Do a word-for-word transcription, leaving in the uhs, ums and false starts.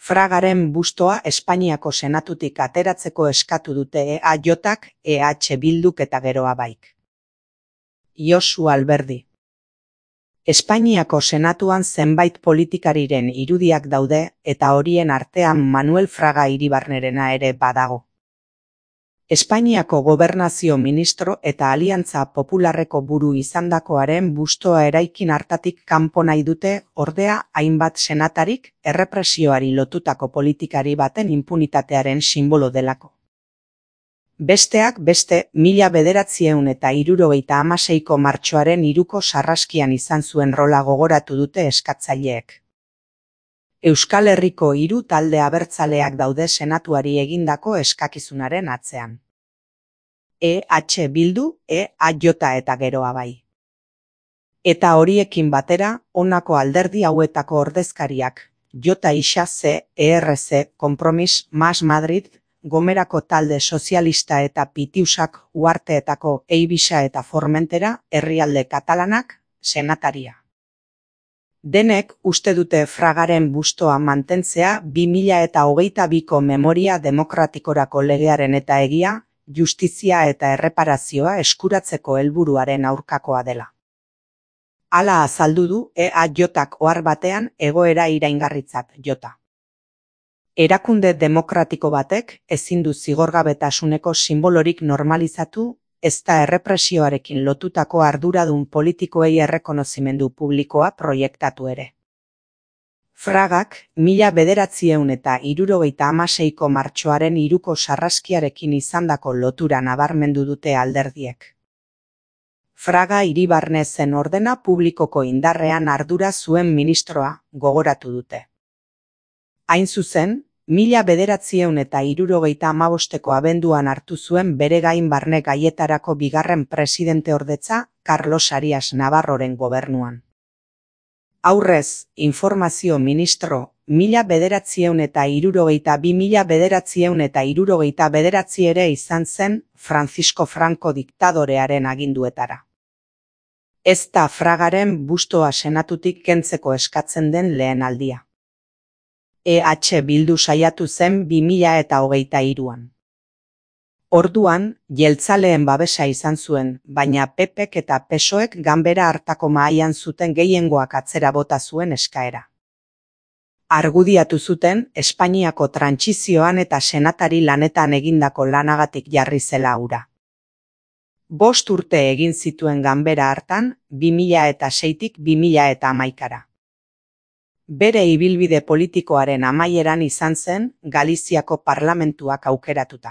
Fragaren bustoa Espainiako Senatutik ateratzeko eskatu dute E A Jk, E H Bilduk eta Geroa Baik. Josu Alberdi. Espainiako Senatuan zenbait politikariren irudiak daude eta horien artean Manuel Fraga Iribarnerena ere badago. Espainiako Gobernazio Ministro eta Aliantza Popularreko buru izandakoaren bustoa eraikin hartatik kanpo nahi dute, ordea hainbat senatarik errepresioari lotutako politikari baten inpunitatearen sinbolo delako. Besteak beste, mila bederatziehun eta hirurogeita hamaseiko martxoaren hiruko sarraskian izan zuen rola gogoratu dute eskatzaileek. Euskal Herriko hiru talde abertzaleak daude senatuari egindako eskakizunaren atzean. E H Bildu, E A J eta Geroa Bai. Eta horiekin batera, honako alderdi hauetako ordezkariak, J Isa C, E R C, Kompromis, Mas Madrid, Gomerako talde sozialista eta Pitiusak, Uharteetako Eivisa eta Formentera, herrialde katalanak, senataria. Denek uste dute Fragaren bustoa mantentzea bi mila eta hogeita biko memoria demokratikorako legearen eta egia, justizia eta erreparazioa eskuratzeko helburuaren aurkakoa dela. Hala azaldu du E A Jk ohar batean egoera iraingarritzat jota. Erakunde demokratiko batek ezin du zigorgabetasuneko sinbolorik normalizatu, ezta errepresioarekin lotutako arduradun politikoei errekonozimendu publikoa proiektatu ere. Fragak, mila bederatziehun eta hirurogeita hamaseiko martxoaren hiruko sarraskiarekin izandako lotura nabarmendu dute alderdiek. Fraga Iribarne zen ordena publikoko indarrean ardura zuen ministroa, gogoratu dute. Hain zuzen, mila bederatziehun eta hirurogeita hamabosteko abenduan hartu zuen bere gain barne gaietarako bigarren presidenteordetza Carlos Arias Navarroren gobernuan. Aurrez, informazio ministro, mila bederatziehun eta hirurogeita bi mila bederatziehun eta hirurogeita bederatzi ere izan zen Francisco Franco diktadorearen aginduetara. Ez da Fragaren bustoa senatutik kentzeko eskatzen den lehen aldia. E H Bildu saiatu zen bi mila eta hogeita hiruan. Orduan, jeltzaleen babesa izan zuen, baina P Pk eta P S O ek ganbera hartako mahaian zuten gehiengoak atzera bota zuen eskaera. Argudiatu zuten, Espainiako trantsizioan eta senatari lanetan egindako lanagatik jarri zela hura. Bost urte egin zituen ganbera hartan, bi mila eta seitik bi mila eta hamaikara. Bere ibilbide politikoaren amaieran izan zen Galiziako parlamentuak aukeratuta.